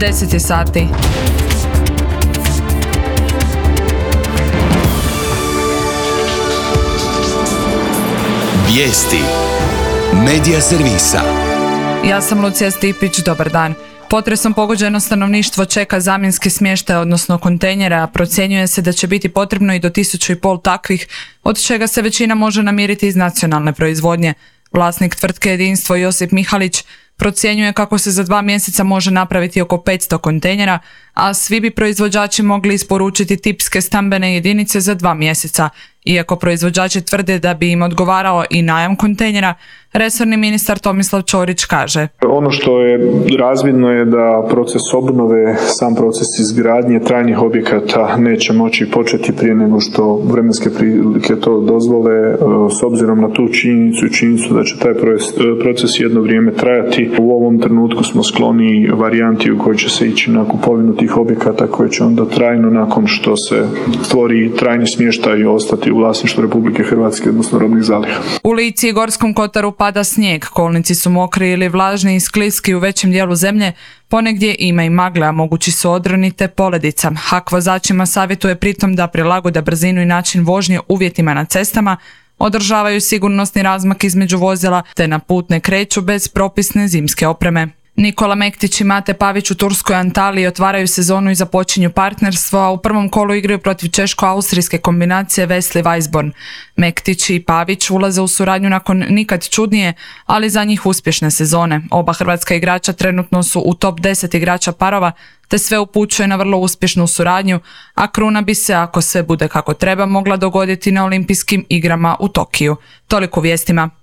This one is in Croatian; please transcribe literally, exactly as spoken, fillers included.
deset je sati. Vijesti Medija servisa. Ja sam Lucija Stipić, dobar dan. Potresom pogođeno stanovništvo čeka zamjenski smještaj, odnosno kontejnere, a procjenjuje se da će biti potrebno i do tisuću i pol takvih, od čega se većina može namiriti iz nacionalne proizvodnje. Vlasnik tvrtke Jedinstvo Josip Mihalić procjenjuje kako se za dva mjeseca može napraviti oko petsto kontejnera, a svi bi proizvođači mogli isporučiti tipske stambene jedinice za dva mjeseca. Iako proizvođači tvrde da bi im odgovarao i najam kontejnera, resorni ministar Tomislav Ćorić kaže: Ono što je razvidno je da proces obnove, sam proces izgradnje trajnih objekata neće moći početi prije nego što vremenske prilike to dozvole, s obzirom na tu činjenicu i činjenicu da će taj proces jedno vrijeme trajati. U ovom trenutku smo skloni varijanti u kojoj će se ići na kupovinu tih objekata koje će onda trajno, nakon što se stvori trajni smještaj, ostati u vlasništvu Republike Hrvatske, odnosno robnih zaliha. U Lici i Gorskom kotaru pada snijeg, kolnici su mokri ili vlažni i skliski u većem dijelu zemlje, ponegdje ima i magle, a mogući su odroni te poledica. H A K vozačima savjetuje pritom da prilagode brzinu i način vožnje uvjetima na cestama, održavaju sigurnosni razmak između vozila te na put ne kreću bez propisne zimske opreme. Nikola Mektić i Mate Pavić u turskoj Antaliji otvaraju sezonu i započinju partnerstvo, a u prvom kolu igraju protiv češko-austrijske kombinacije Wesley Weisborn. Mektić i Pavić ulaze u suradnju nakon nikad čudnije, ali za njih uspješne sezone. Oba hrvatska igrača trenutno su u top deset igrača parova, te sve upućuje na vrlo uspješnu suradnju, a kruna bi se, ako sve bude kako treba, mogla dogoditi na olimpijskim igrama u Tokiju. Toliko vijestima.